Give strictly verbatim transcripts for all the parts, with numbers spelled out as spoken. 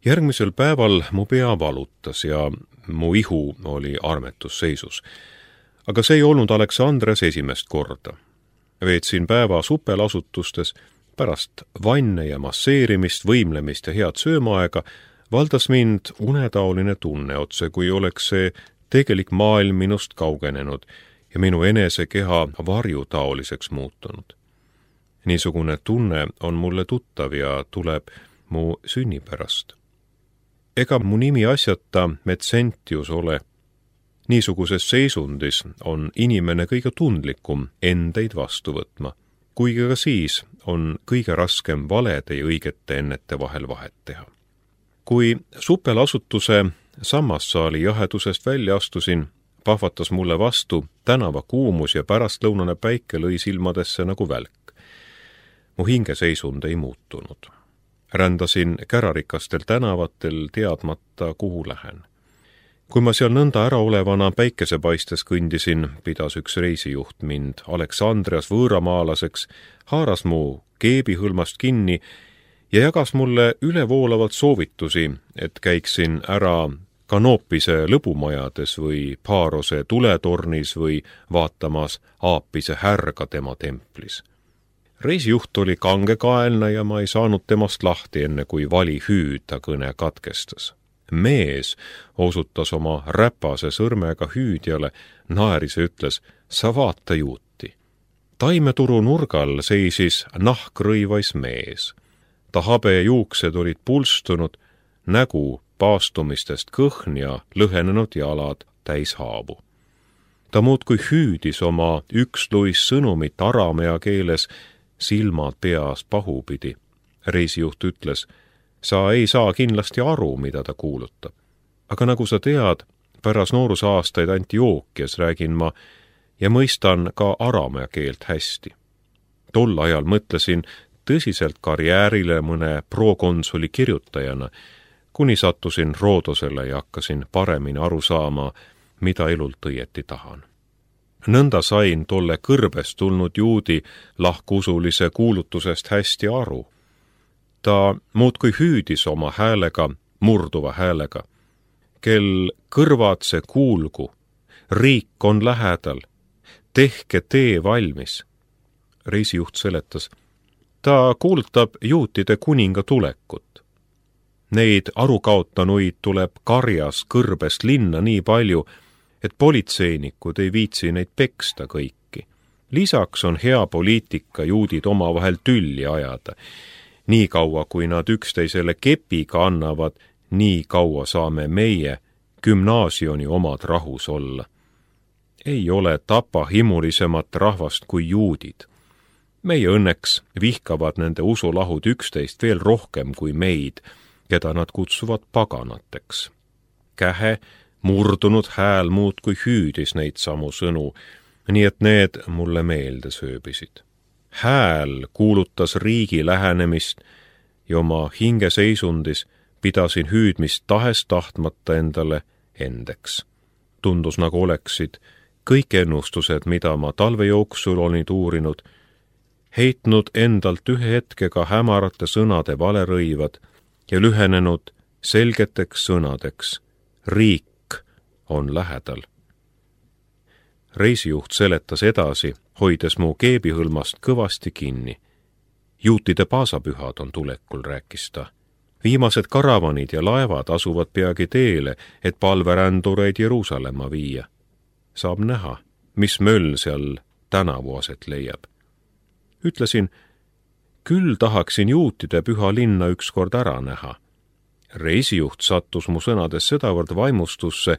Järgmisel päeval mu pea valutas ja mu ihu oli armetusseisus. Aga see ei olnud Aleksandres esimest korda. Veetsin päeva supelasutustes, pärast vanne ja masseerimist, võimlemist ja head söömaaega valdas mind unetaoline tunne otse, kui oleks see tegelik maailm minust kaugenenud ja minu enese keha varjutaoliseks muutunud. Niisugune tunne on mulle tuttav ja tuleb mu sünnipärast. Ega mu nimi asjata Metsentius ole. Niisuguses seisundis on inimene kõige tundlikum endeid vastu võtma, kuigi ka siis on kõige raskem valede ja õigete ennete vahel vahet teha. Kui supelasutuse sammassaali jahedusest välja astusin, pahvatas mulle vastu tänava kuumus ja pärastlõunane päike lõi silmadesse nagu välk. Mu hingeseisund ei muutunud. Rändasin kärarikastel tänavatel teadmata, kuhu lähen. Kui ma seal nõnda äraolevana päikesepaistes kõndisin, pidas üks reisijuht mind Aleksandrias võõramaalaseks, haaras mu keebihõlmast kinni ja jagas mulle ülevoolavalt soovitusi, et käiksin ära Kanoopise lõbumajades või Paarose tuletornis või vaatamas Aapise härga tema templis. Reisijuht oli kangekaelne ja ma ei saanud temast lahti enne, kui vali hüüda kõne katkestas. Mees osutas oma räpase sõrmega hüüdjale, naeris ja ütles, sa vaata juuti. Taimeturu nurgal seisis nahkrõivais mees. Ta habe juuksed olid pulstunud, nägu paastumistest kõhn ja lõhenenud jalad täis haavu. Ta muudkui hüüdis oma üksluis sõnumit aramea keeles, silmad peas pahupidi. Reisijuht ütles, sa ei saa kindlasti aru, mida ta kuulutab. Aga nagu sa tead, pärast noorusaastaid Antiookias räägin ma ja mõistan ka aramea keelt hästi. Tol ajal mõtlesin tõsiselt karjäärile mõne prokonsuli kirjutajana, kuni sattusin Roodosele ja hakkasin paremini aru saama, mida elult õieti tahan. Nõnda sain tolle kõrbest tulnud juudi lahkusulise kuulutusest hästi aru. Ta muudkui hüüdis oma häälega, murduva häälega. Kel kõrvad see kuulgu, riik on lähedal, tehke tee valmis. Reisijuht seletas, ta kuulutab juutide kuninga tulekut. Neid arukaotanuid tuleb karjas kõrbest linna nii palju, et politseinikud ei viitsi neid peksta kõiki. Lisaks on hea poliitika juudid omavahel tülli ajada. Nii kaua, kui nad üksteisele kepiga annavad, nii kaua saame meie gümnaasioni omad rahus olla. Ei ole tapa himulisemat rahvast kui juudid. Meie õnneks vihkavad nende usulahud üksteist veel rohkem kui meid, keda nad kutsuvad paganateks. Kähe, murdunud hääl muudkui hüüdis neid samu sõnu, nii et need mulle meelde sööbisid. Hääl kuulutas riigi lähenemist ja oma hingeseisundis pidasin hüüdmist tahes tahtmata endale endeks. Tundus nagu oleksid kõik ennustused, mida ma talve jooksul olin uurinud, heitnud endalt ühe hetkega hämarate sõnade valerõivad ja lühenenud selgeteks sõnadeks. Riik on lähedal. Reisijuht seletas edasi, hoides mu keebihõlmast kõvasti kinni. Juutide paasapühad on tulekul, rääkis ta. Viimased karavanid ja laevad asuvad peagi teele, et palverändureid Jeruusalemma viia. Saab näha, mis möll seal tänavu aset leiab. Ütlesin, küll tahaksin juutide püha linna ükskord ära näha. Reisijuht sattus mu sõnades sedavõrd vaimustusse,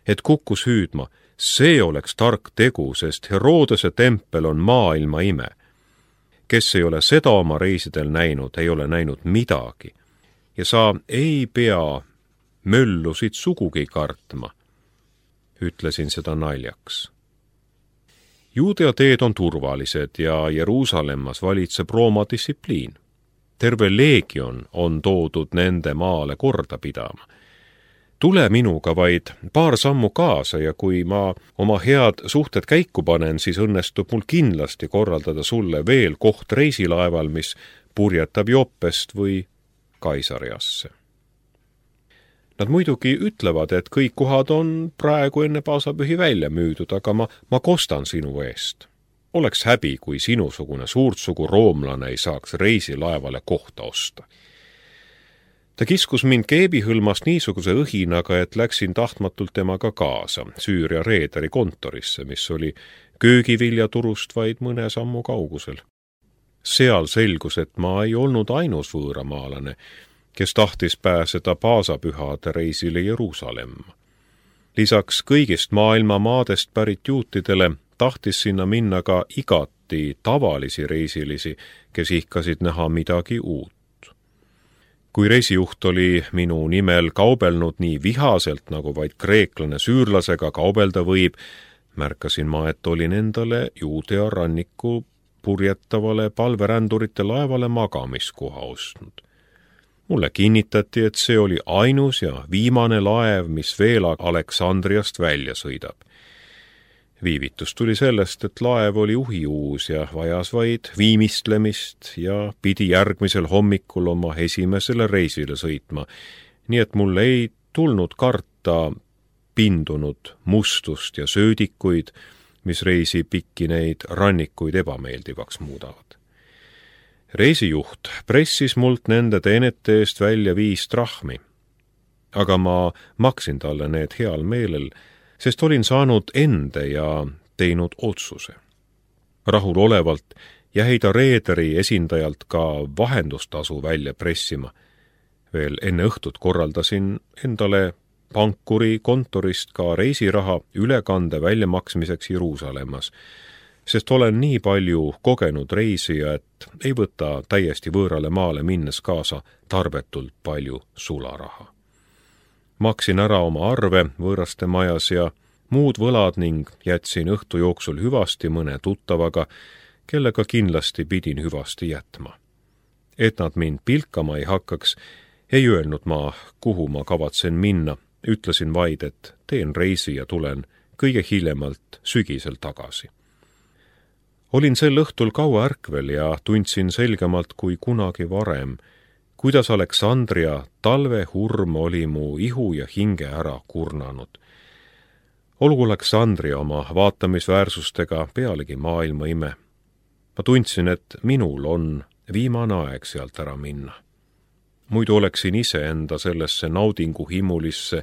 et kukkus hüüdma, see oleks tark tegu, sest Herodese tempel on maailma ime. Kes ei ole seda oma reisidel näinud, ei ole näinud midagi. Ja sa ei pea möllusid sugugi kartma. Ütlesin seda naljaks. Juudea teed on turvalised ja Jeruusalemmas valitseb Rooma distsipliin. Terve leegion on toodud nende maale korda pidama. Tule minuga vaid paar sammu kaasa ja kui ma oma head suhted käiku panen, siis õnnestub mul kindlasti korraldada sulle veel koht reisilaeval, mis purjetab Joppest või Kaisariasse. Nad muidugi ütlevad, et kõik kohad on praegu enne paasapühi välja müüdud, aga ma, ma kostan sinu eest. Oleks häbi, kui sinusugune suurtsugu roomlane ei saaks reisilaevale kohta osta. Ta kiskus mind keebihõlmast niisuguse õhinaga, et läksin tahtmatult temaga kaasa Süüria reederi kontorisse, mis oli köögiviljaturust vaid mõne sammu kaugusel. Seal selgus, et ma ei olnud ainus võõramaalane, kes tahtis pääseda paasapühade reisile Jeruusalemma. Lisaks kõigist maailma maadest pärit juutidele tahtis sinna minna ka igati tavalisi reisilisi, kes ihkasid näha midagi uut. Kui reisijuht oli minu nimel kaubelnud nii vihaselt, nagu vaid kreeklane süürlasega kaubelda võib, märkasin ma, et olin endale Juudea ranniku purjetavale palverändurite laevale magamiskoha ostnud. Mulle kinnitati, et see oli ainus ja viimane laev, mis veel Aleksandriast välja sõidab. Viivitus tuli sellest, et laev oli uhiuus ja vajas vaid viimistlemist ja pidi järgmisel hommikul oma esimesele reisile sõitma, nii et mul ei tulnud karta pindunud mustust ja söödikuid, mis reisi pikki neid rannikuid ebameeldivaks muudavad. Reisijuht pressis mult nende teenete eest välja viis trahmi, aga ma maksin talle need heal meelel, sest olin saanud ende ja teinud otsuse. Rahul olevalt jäi ta reederi esindajalt ka vahendustasu välja pressima. Veel enne õhtut korraldasin endale pankuri kontorist ka reisiraha ülekande väljamaksmiseks Jeruusalemmas, sest olen nii palju kogenud reisija, et ei võta täiesti võõrale maale minnes kaasa tarbetult palju sularaha. Maksin ära oma arve võõraste majas ja muud võlad ning jätsin õhtu jooksul hüvasti mõne tuttavaga, kellega kindlasti pidin hüvasti jätma. Et nad mind pilkama ei hakkaks, ei öelnud ma, kuhu ma kavatsen minna, ütlesin vaid, et teen reisi ja tulen kõige hiljemalt sügisel tagasi. Olin sel õhtul kaua ärkvel ja tundsin selgemalt kui kunagi varem, kuidas Aleksandria talvehurm oli mu ihu ja hinge ära kurnanud. Olgu Aleksandria oma vaatamisväärsustega pealegi maailma ime. Ma tundsin, et minul on viimane aeg sealt ära minna. Muidu oleksin ise enda sellesse naudingu himulisse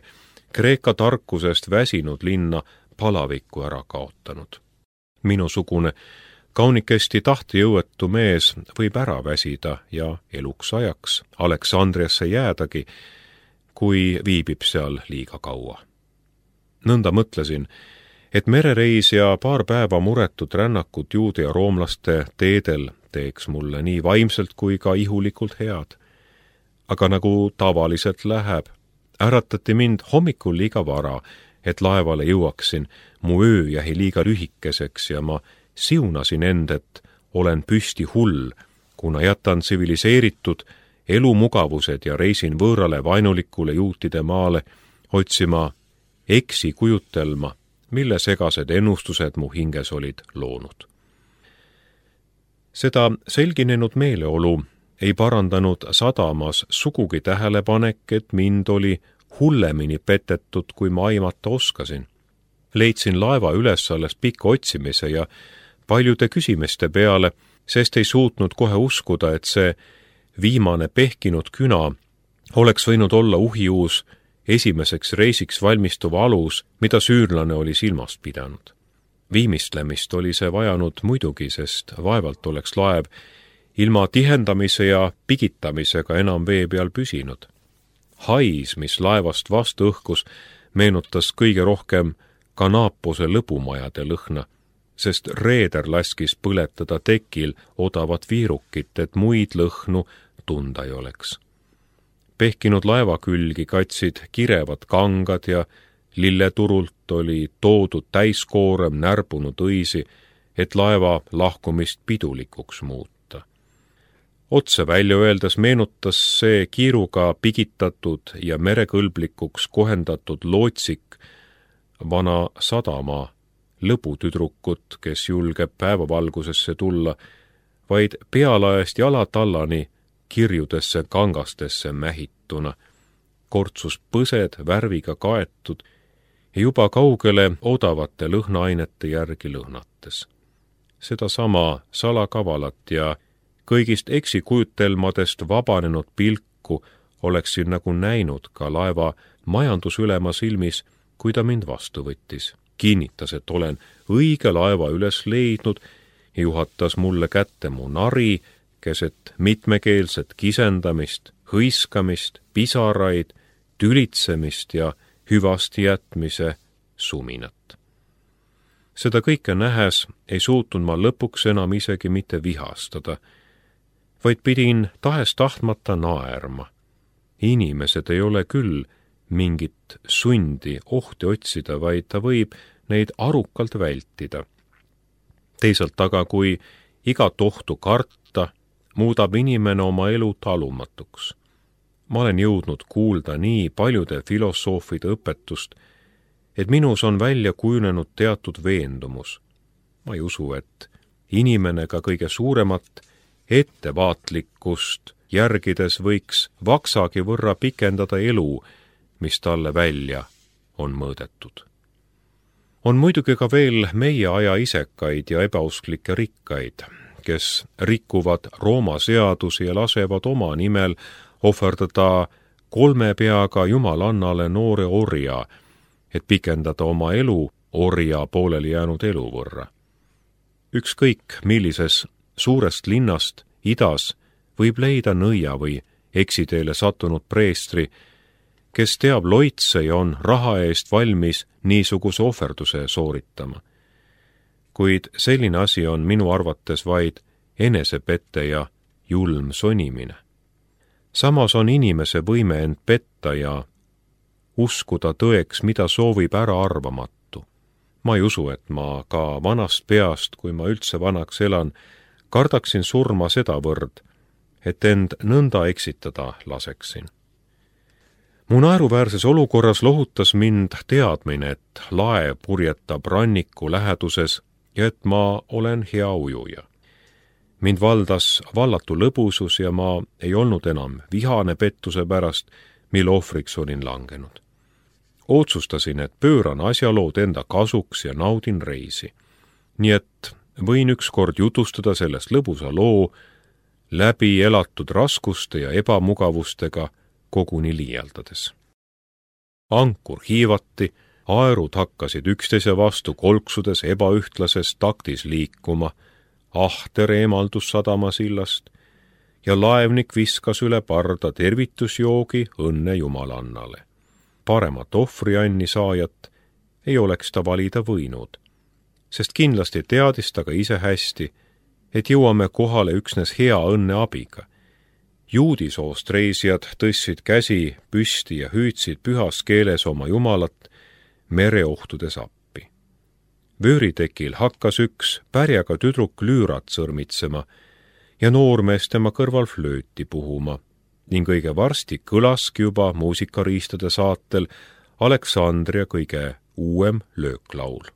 Kreeka tarkusest väsinud linna palavikku ära kaotanud. Minusugune kaunikesti tahtejõuetu mees võib ära väsida ja eluks ajaks Aleksandriasse jäädagi, kui viibib seal liiga kaua. Nõnda mõtlesin, et merereis ja paar päeva muretut rännakut juudi ja roomlaste teedel teeks mulle nii vaimselt kui ka ihulikult head. Aga nagu tavaliselt läheb, äratati mind hommikul liiga vara, et laevale jõuaksin, mu öö jäi liiga lühikeseks ja ma siunasin end, et olen püsti hull, kuna jätan tsiviliseeritud elumugavused ja reisin võõrale vaenulikule juutide maale otsima eksi kujutelma, mille segased ennustused mu hinges olid loonud. Seda selginenud meeleolu ei parandanud sadamas sugugi tähelepanek, et mind oli hullemini petetud, kui ma aimata oskasin. Leidsin laeva üles alles pikka otsimise ja paljude küsimiste peale, sest ei suutnud kohe uskuda, et see viimane pehkinud küna oleks võinud olla uhiuus esimeseks reisiks valmistuv alus, mida süürlane oli silmast pidanud. Viimistlemist oli see vajanud muidugi, sest vaevalt oleks laev ilma tihendamise ja pigitamisega enam vee peal püsinud. Hais, mis laevast vastu õhkus, meenutas kõige rohkem Kanapose lõbumajade lõhna, sest reeder laskis põletada tekil odavat viirukit, et muid lõhnu tunda ei oleks. Pehkinud laeva külgi katsid kirevad kangad ja lilleturult oli toodud täiskoorem närbunud õisi, et laeva lahkumist pidulikuks muuta. Otse välja öeldes meenutas see kiiruga pigitatud ja merekõlblikuks kohendatud lootsik vana sadama lõbutüdrukut, kes julgeb päevavalgusesse tulla, vaid pealaest jalatallani kirjudesse kangastesse mähituna, kortsus põsed värviga kaetud ja juba kaugele odavate lõhnaainete järgi lõhnates. Sedasama salakavalat ja kõigist eksikujutelmadest vabanenud pilku oleksin nagu näinud ka laeva majandusülema silmis, kui ta mind vastu võttis. Kinnitas, et olen õige laeva üles leidnud ja juhatas mulle kätte mu nari, keset mitmekeelset kisendamist, hõiskamist, pisaraid, tülitsemist ja hüvasti jätmise suminat. Seda kõike nähes ei suutnud ma lõpuks enam isegi mitte vihastada, vaid pidin tahes tahtmata naerma. Inimesed ei ole küll mingit sundi ohti otsida, vaid ta võib neid arukalt vältida. Teisalt aga, kui igat ohtu karta, muudab inimene oma elu talumatuks. Ma olen jõudnud kuulda nii paljude filosoofide õpetust, et minus on välja kujunenud teatud veendumus. Ma ei usu, et inimene ka kõige suuremat ettevaatlikkust järgides võiks vaksagi võrra pikendada elu, mis talle välja on mõõdetud. On muidugi ka veel meie aja isekaid ja ebausklikke rikkaid, kes rikuvad Rooma seadusi ja lasevad oma nimel ohverdada kolme peaga jumalannale noore orja, et pikendada oma elu orja pooleli jäänud elu võrra. Ükskõik millises suurest linnast idas võib leida nõia või eksiteele sattunud preestri, kes teab loitse ja on raha eest valmis niisuguse ohverduse sooritama. Kuid selline asi on minu arvates vaid enesepette ja julm sonimine. Samas on inimese võime end petta ja uskuda tõeks, mida soovib ära arvamatu. Ma ei usu, et ma ka vanast peast, kui ma üldse vanaks elan, kardaksin surma sedavõrd, et end nõnda eksitada laseksin. Mu naeruväärses olukorras lohutas mind teadmine, et laev purjetab ranniku läheduses ja et ma olen hea ujuja. Mind valdas vallatu lõbusus ja ma ei olnud enam vihane pettuse pärast, mille ohvriks olin langenud. Otsustasin, et pööran asjalood enda kasuks ja naudin reisi. Nii et võin ükskord jutustada sellest lõbusa loo läbi elatud raskuste ja ebamugavustega koguni liialdades. Ankur hiivati, aerud hakkasid üksteise vastu kolksudes ebaühtlases taktis liikuma, ahter eemaldus sadamasillast ja laevnik viskas üle parda tervitusjoogi õnne jumalannale. Paremat ohvrianni saajat ei oleks ta valida võinud, sest kindlasti teadis ta ka ise hästi, et jõuame kohale üksnes hea õnne abiga. Juudisoost reisijad tõstsid käsi püsti ja hüüdsid pühas keeles oma jumalat mereohtudes appi. Vööritekil hakkas üks pärjaga tüdruk lüürat sõrmitsema ja noormees tema kõrval flööti puhuma ning õige varsti kõlaski juba muusikariistade saatel Aleksandria kõige uuem lööklaul.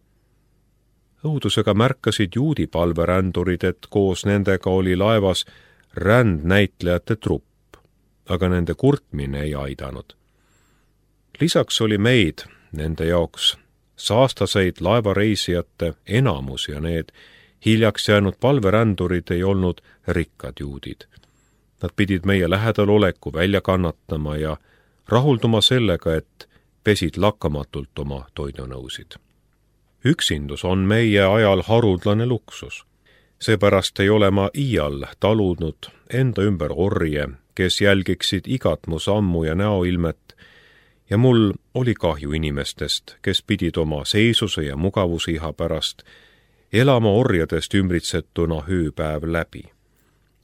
Õudusega märkasid juudi palverändurid, et koos nendega oli laevas rändnäitlejate trupp, aga nende kurtmine ei aidanud. Lisaks oli meid, nende jaoks, saastaseid laevareisijate enamus ja need hiljaks jäänud palverändurid ei olnud rikkad juudid. Nad pidid meie lähedal oleku välja kannatama ja rahulduma sellega, et pesid lakkamatult oma toidunõusid. Üksindus on meie ajal haruldane luksus. Seepärast ei ole ma iial taludnud enda ümber orje, kes jälgiksid igat mu sammu ja näoilmet, ja mul oli kahju inimestest, kes pidid oma seisuse ja mugavusiha pärast elama orjadest ümbritsetuna hüüpäev läbi.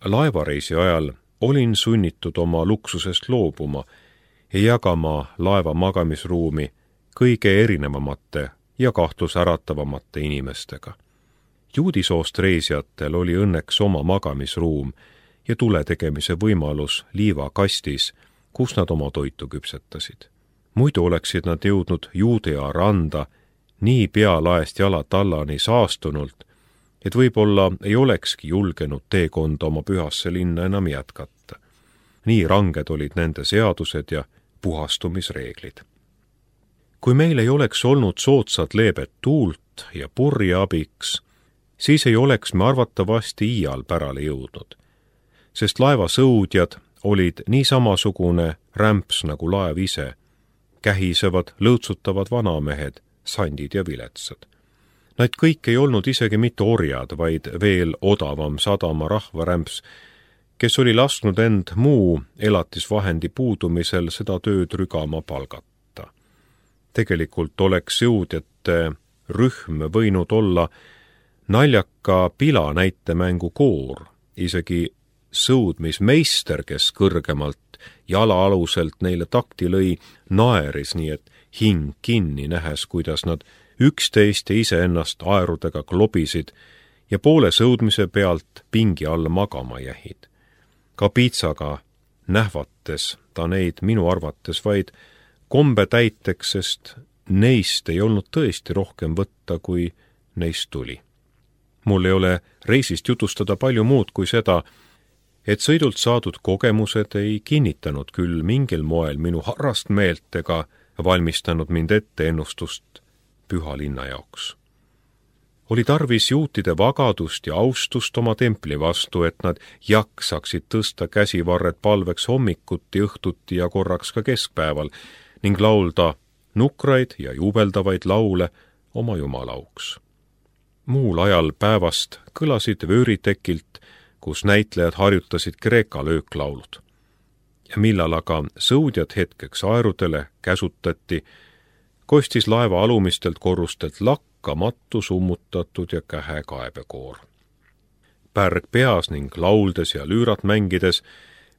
Laevareisi ajal olin sunnitud oma luksusest loobuma ja jagama laeva magamisruumi kõige erinevamate ja kahtlusäratavamate inimestega. Juudisoost reisijatel oli õnneks oma magamisruum ja tule tegemise võimalus liivakastis, kus nad oma toitu küpsetasid. Muidu oleksid nad jõudnud Juudea randa nii pealaest jalatallani saastunult, et võib-olla ei olekski julgenud teekonda oma pühasse linna enam jätkata. Nii ranged olid nende seadused ja puhastumisreeglid. Kui meil ei oleks olnud soodsat leebet tuult ja purje abiks, siis ei oleks me arvatavasti iial pärale jõudnud, sest laevasõudjad olid nii samasugune rämps nagu laev ise, kähisevad, lõõtsutavad vanamehed, sandid ja viletsad. Nad kõik ei olnud isegi mitte orjad, vaid veel odavam sadama rahvarämps, kes oli lasknud end muu elatisvahendi puudumisel seda tööd rügama palgata. Tegelikult oleks jõudjate rühm võinud olla naljaka pila näitemängu koor, isegi sõudmismeister, kes kõrgemalt jalaaluselt neile takti lõi, naeris nii, et hing kinni nähes, kuidas nad üksteist ja iseennast aerudega klobisid ja poole sõudmise pealt pingi all magama jähid. Ka piitsaga nähvates ta neid minu arvates vaid kombe täiteks, sest neist ei olnud tõesti rohkem võtta, kui neist tuli. Mul ei ole reisist jutustada palju muud kui seda, et sõidult saadud kogemused ei kinnitanud küll mingil moel minu harrast meelt ega valmistanud mind ette ennustust püha linna jaoks. Oli tarvis juutide vagadust ja austust oma templi vastu, et nad jaksaksid tõsta käsivarred palveks hommikuti, õhtuti ja korraks ka keskpäeval ning laulda nukraid ja juubeldavaid laule oma jumalauks. Muul ajal päevast kõlasid vööritekilt, kus näitlejad harjutasid Kreeka lööklaulud. Ja millal aga sõudjad hetkeks aerudele käsutati, kostis laeva alumistelt korrustelt lakkamatu summutatud ja kähe kaebekoor. Pärg peas ning lauldes ja lüürat mängides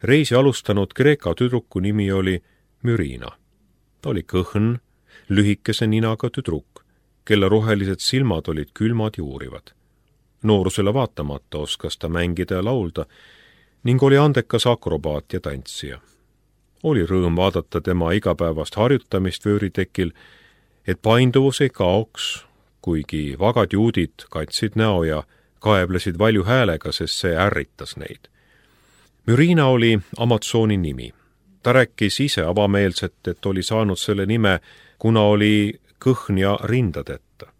reisi alustanud Kreeka tüdruku nimi oli Mürina. Ta oli kõhn, lühikese ninaga tüdruk, kelle rohelised silmad olid külmad ja uurivad. Noorusele vaatamata oskas ta mängida ja laulda ning oli andekas akrobaat ja tantsija. Oli rõõm vaadata tema igapäevast harjutamist vööritekil, et painduvus ei kaoks, kuigi vagad juudid katsid näo ja kaeblesid valju häälega, sest see ärritas neid. Mürina oli Amazoni nimi. Ta rääkis ise avameelselt, et oli saanud selle nime, kuna oli kõhn ja rindadeta.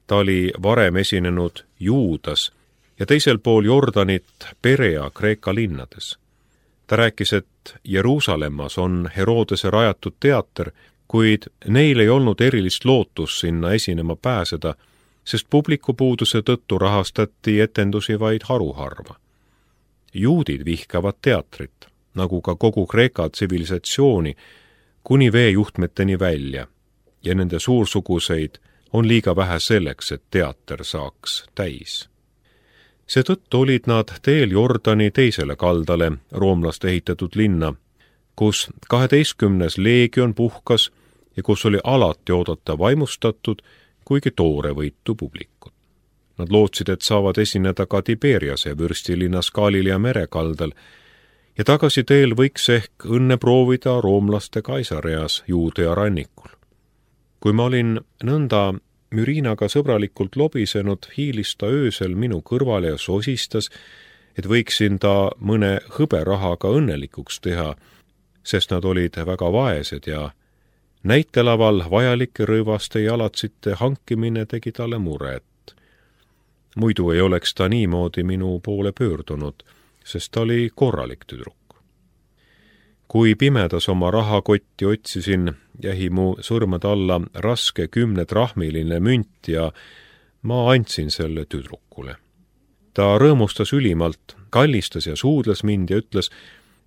Ta oli varem esinenud Juudas ja teisel pool Jordanit Perea Kreeka linnades. Ta rääkis, et Jeruusalemmas on Herodese rajatud teater, kuid neil ei olnud erilist lootust sinna esinema pääseda, sest publiku puuduse tõttu rahastati etendusi vaid haruharva. Juudid vihkavad teatrit, nagu ka kogu Kreeka tsivilisatsiooni, kuni veejuhtmeteni välja, ja nende suursuguseid on liiga vähe selleks, et teater saaks täis. Seetõttu olid nad teel Jordani teisele kaldale roomlaste ehitatud linna, kus kaheteistkümnes leegion puhkas ja kus oli alati oodata vaimustatud, kuigi toorevõitu publikut. Nad lootsid, et saavad esineda ka Tiberiase vürstilinnas Galilea merekaldal ja tagasi teel võiks ehk õnne proovida roomlaste Kaisareas Juudea rannikul. Kui ma olin nõnda Mürinaga sõbralikult lobisenud, hiilis ta öösel minu kõrvale ja sosistas, et võiksin ta mõne hõberahaga õnnelikuks teha, sest nad olid väga vaesed ja näitelaval vajalike rõivaste jalatsite hankimine tegi talle muret. Muidu ei oleks ta niimoodi minu poole pöördunud, sest ta oli korralik tüdruk. Kui pimedas oma rahakotti otsisin, jäi mu sõrmede alla raske kümnetrahmiline münt ja ma andsin selle tüdrukule. Ta rõõmustas ülimalt, kallistas ja suudles mind ja ütles,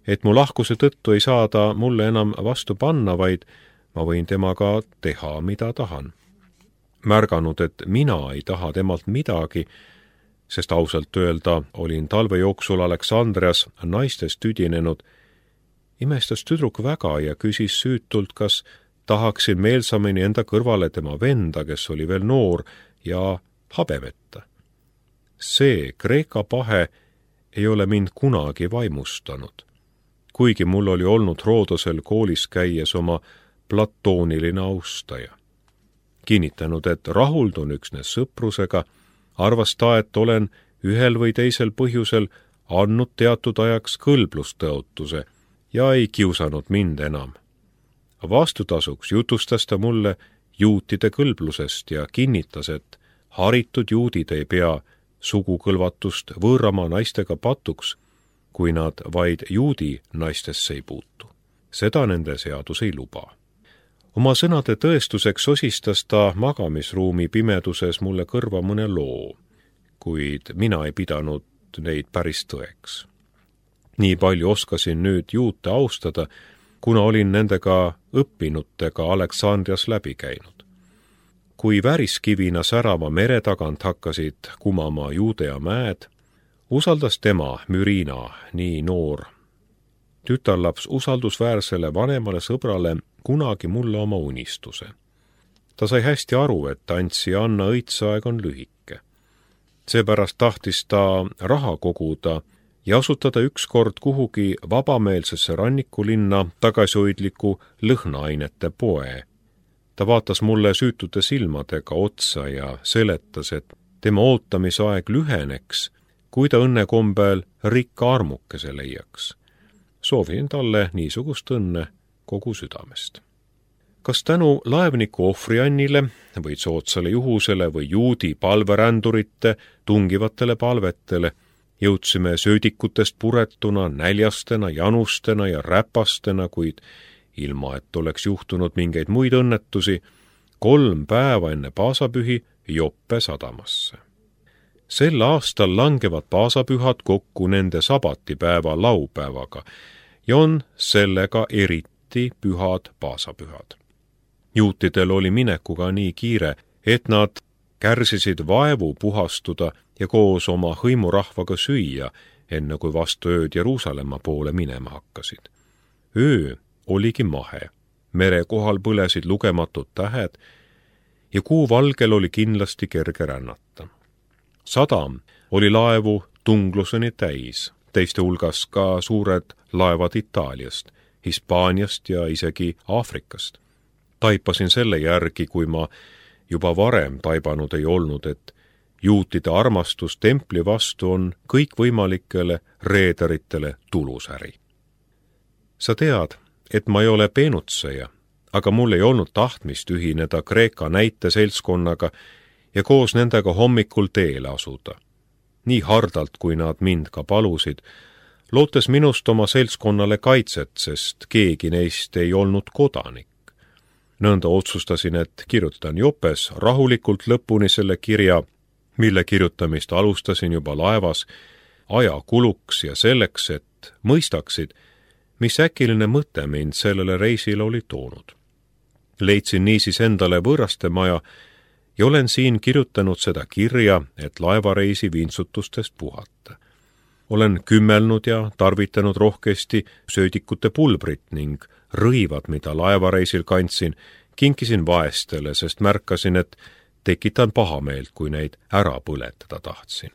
et mu lahkuse tõttu ei saa ta mulle enam vastu panna, vaid ma võin temaga teha, mida tahan. Märganud, et mina ei taha temalt midagi, sest ausalt öelda olin talve jooksul Aleksandrias naistest tüdinenud, imestas tüdruk väga ja küsis süütult, kas tahaksin meelsamini enda kõrvale tema venda, kes oli veel noor ja habemeta. See Kreeka pahe ei ole mind kunagi vaimustanud, kuigi mul oli olnud Roodosel koolis käies oma platooniline austaja. Kinnitanud, et rahuldun üksnes sõprusega, arvas ta, et olen ühel või teisel põhjusel andnud teatud ajaks kõlblustõotuse ja ei kiusanud mind enam. vastutasuks jutustas ta mulle juutide kõlblusest ja kinnitas, et haritud juudid ei pea sugukõlvatust võõramaa naistega patuks, kui nad vaid juudi naistesse ei puutu. Seda nende seadus ei luba. Oma sõnade tõestuseks osistas ta magamisruumi pimeduses mulle kõrva mõne loo, kuid mina ei pidanud neid päris tõeks. Nii palju oskasin nüüd juute austada, kuna olin nendega õppinutega Aleksandrias läbi käinud. Kui väriskivina särava mere tagant hakkasid kumama Juudea mäed, usaldas tema, Mürina, nii noor tütarlaps usaldusväärsele vanemale sõbrale kunagi mulle oma unistuse. Ta sai hästi aru, et Antsi ja Anna õitseaeg on lühike. Seepärast tahtis ta raha koguda ja asutada ükskord kuhugi vabameelsesse rannikulinna tagasihoidliku lõhnaainete poe. Ta vaatas mulle süütute silmadega otsa ja seletas, et tema ootamisaeg lüheneks, kui ta õnnekombel rikka armukese leiaks. Soovin talle niisugust õnne kogu südamest. Kas tänu laevniku ohvriannile või sootsale juhusele või juudi palverändurite tungivatele palvetele jõudsime söödikutest puretuna, näljastena, janustena ja räpastena, kuid ilma, et oleks juhtunud mingeid muid õnnetusi, kolm päeva enne paasapühi Joppe sadamasse. Sel aastal langevad paasapühad kokku nende sabatipäeva laupäevaga ja on sellega eriti pühad paasapühad. Juutidel oli minekuga nii kiire, et nad kärsisid vaevu puhastuda ja koos oma hõimurahvaga süüa, enne kui vastu ööd Jeruusalemma poole minema hakkasid. Öö oligi mahe, mere kohal põlesid lugematud tähed ja kuu valgel oli kindlasti kerge rännata. Sadam oli laevu tungluseni täis, teiste hulgas ka suured laevad Itaaliast, Hispaaniast ja isegi Aafrikast. Taipasin selle järgi, kui ma juba varem taibanud ei olnud, et juutide armastus templi vastu on kõikvõimalikele reederitele tulusäri. Sa tead, et ma ei ole peenutseja, aga mul ei olnud tahtmist ühineda Kreeka näiteseltskonnaga ja koos nendega hommikul teele asuda. Nii hardalt, kui nad mind ka palusid, lootes minust oma seltskonnale kaitset, sest keegi neist ei olnud kodanik. Nõnda otsustasin, et kirjutan Jopes rahulikult lõpuni selle kirja, mille kirjutamist alustasin juba laevas, aja kuluks ja selleks, et mõistaksid, mis äkiline mõte mind sellele reisile oli toonud. Leidsin niisiis endale võõraste maja ja olen siin kirjutanud seda kirja, et laevareisi vintsutustest puhata. Olen kümmelnud ja tarvitanud rohkesti söödikute pulbrit ning rõivad, mida laevareisil kandsin, kinkisin vaestele, sest märkasin, et tekitan pahameelt, kui neid ära põletada tahtsin.